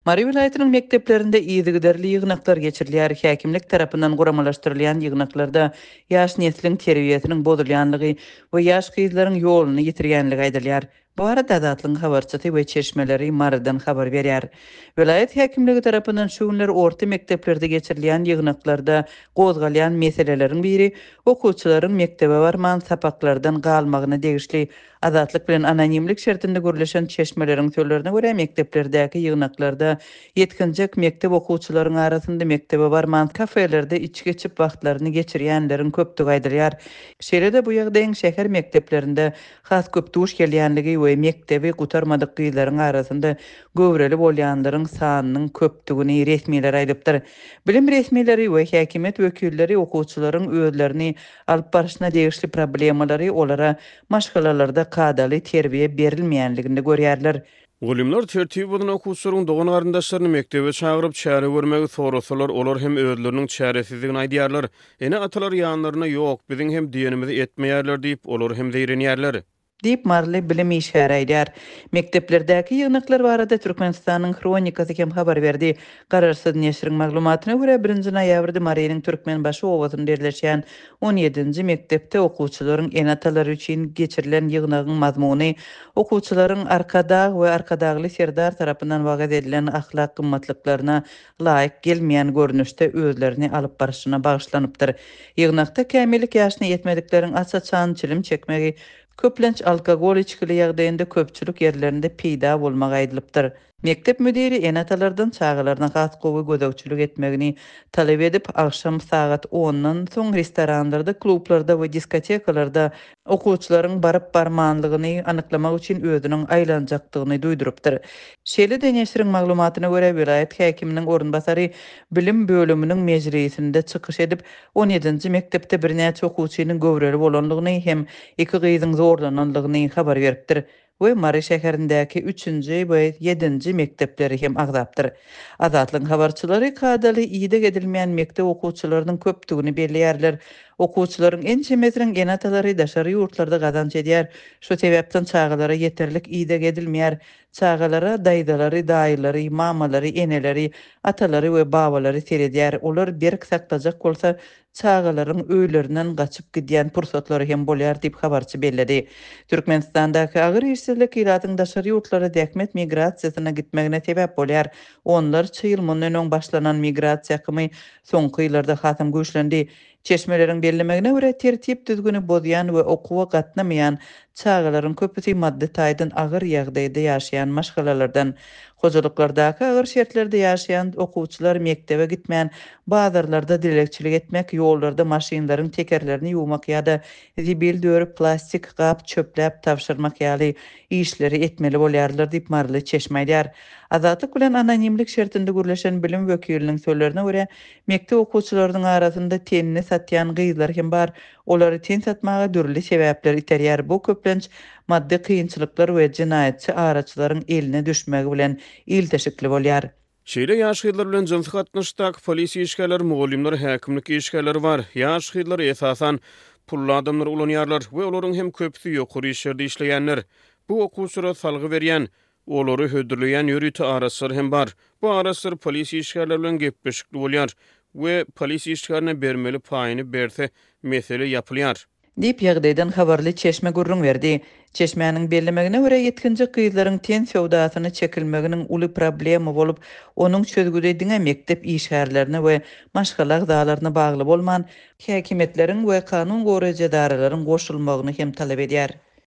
Mary welaýatynyň mekdeplerinde yzygiderli ýygnaklar geçirilýär. Häkimlik tarapyndan guramalaşdyrylýan ýygnaklarda ýaş nesliň terbiýesiniň bozulýanlygy we ýaş gyzlaryň ýoluny ýitirýänligi aýdylýar. Bu barada Azatlygyň habarçysy we çeşmeleri Marydan habar berýär. Welaýat häkimligi tarapyndan şu günler orta mekdeplerde geçirilýän ýygnaklarda gozgalýan meseleleriň biri okuwçylaryň mekdebe barman sapaklardan galmagyna degişli. Azatlyk bilen anonimlik şertinde gürleşen çeşmeleriň sözlerine görä, mekdeplerdäki ýygnaklarda ýetginjek mekdep okuwçylaryň arasynda mekdebe barman, kafelerde içgi içip wagtlaryny geçirýänleriň köpdügi aýdylýar. Şeýle-de bu ýagdaýyň şäher mekdeplerinde has köp duş gelýänligi we mekdebi gutarmadyk gyzlaryň arasynda göwreli bolýanlaryň sanynyň köpdügini resmiler aýdypdyr. Bilim resmileri we häkimiýet wekilleri okuwçylaryň özlerini alyp barşyna degişli problemalary olara maşgalalarda kadaly terbiýe berilmeýänliginde görýärler. Mugallymlar tertibi bozan okuwçylaryň dogan-garyndaşlaryny mekdebe çagyryp, çäre görmegi sorasalar, olar hem özleriniň çäresizdigini aýdýarlar. Ene-atalar ýanlarynda ýok, biziň hem diýenimizi etmeýärler diýip, olar hem zeýrenýärler. Diýip, maryly bilim işgäri aýdýar. Mekdeplerdäki ýygnaklar barada Türkmenistanyň Hronikasy hem habar berdi. Garaşsyz neşiriň maglumatyna görä, birinji noýabrda Marynyň Türkmenbaşy obasynda ýerleşýän on ýedinji mekdepde okuwçylaryň ene-atalary üçin geçirilen ýygnagyň mazmuny okuwçylaryň Arkadag we Arkadagly Serdar tarapyndan wagyz edilen ahlak gymmatlyklaryna laýyk gelmeýän görnüşde özlerini alyp barşyna bagyşlanypdyr. Ýygnakda kämillik ýaşyna ýetmedikleriň aç-açan çilim çekmegi, köplenç alkogol içgili ýagdaýynda köpçülik ýerlerinde peýda bolmagy aýdylypdyr. Mekdep müdiri ene-atalardan çagalaryna has gowy gözegçilik etmegini talap edip, agşam sagat ondan soň restoranlarda, klublarda we diskotekalarda okuwçylaryň baryp-barmanlygyny anyklamak üçin özüniň aýlanjakdygyny duýdurypdyr. Şeýle-de neşiriň maglumatyna görä, welaýat häkiminiň orunbasary bilim bölüminiň mejlisinde çykyş edip, on ýedinji mekdepde birnäçe okuwçynyň göwreli bolandygyny hem iki gyzyň zorlanandygyny habar beripdir. We Mary şäherindäki üçünji we ýedinji mekdepleri hem agzapdyr. Azatlygyň habarçylary kadaly ideg edilmeýän mekdep okuwçylarynyň köpdügini belleýärler. Okuwçylaryň ençemesiniň ene-atalary daşary ýurtlarda gazanç edýär. Şu sebäpden çagalara ýeterlik ideg edilmeýär. Çagalara daýzalary, daýylary, mamalary, eneleri, atalary we babalary seredýär. Olar berk saklajak bolsa, çagalaryň öýlerinden gaçyp gidýän pursatlary hem bolýar diýip, habarçy belledi. Türkmenistandaky agyr işsizlik ilatyň daşary ýurtlara zähmet migrasiýasyna gitmegine sebäp bolýar. Onlarça ýyl mundan öň başlanan migrasiýa akymy soňky ýyllarda hasam güýçlendi. Çeşmeleriň bellemegine görä, tertip-düzgüni bozýan we okuwa gatnamaýan çagalaryň köpüsi maddy taýdan agyr ýagdaýda ýaşaýan maşgalalardan. Hojalyklardaky agyr şertlerde ýaşaýan okuwçylar mekdebe gitmän, bazarlarda dilegçilik etmek, ýollarda maşynlaryň tekerlerini ýuwmak ýa-da zibil dörüp, plastik gap çöpläp tabşyrmak ýaly işleri etmeli bolýarlar diýip, maryly çeşme aýdýar. Azatlyk bilen anonimlik şertinde gürleşen bilim wekiliniň sözlerine görä, mekdep okuwçylarynyň arasynda tenini satýan gyzlar hem bar. Olary ten satmaga dürli sebäpler iterýär, bu köplenç maddy kynçylyklar we jenaýatçy araçylaryň eline düşmegi bilen ilteşikli bolýar. Şeýle ýaş gyzlar bilen jynsy gatnaşykdaky polisiýa işgärleri, mugallymlar, häkimlik işgärleri bar. Ýaş gyzlary esasan pully adamlar ulanýarlar we olaryň hem köpüsi ýokary işlerde işleýänler. Bu okuwçylara salgy berýän, olary hödürleýän ýörite araçylar hem bar. Bu araçylar polisiýa işgärleri bilen gepleşikli bolýar we polisiýa işgärine bermeli paýyny berse mesele ýapylýar. Diýip, ýagdaýdan habarly çeşme gürrüň berdi. Çeşmäniň bellemegine görä, ýetginjek gyzlaryň ten söwdasyna çekilmeginiň uly problema bolup, onuň çözgüdi diňe mekdep işgärlerine we maşgala agzalaryna bagly bolman, häkimiýetleriň we kanun goraýjy edaralaryň goşulmagyny hem talap edýär.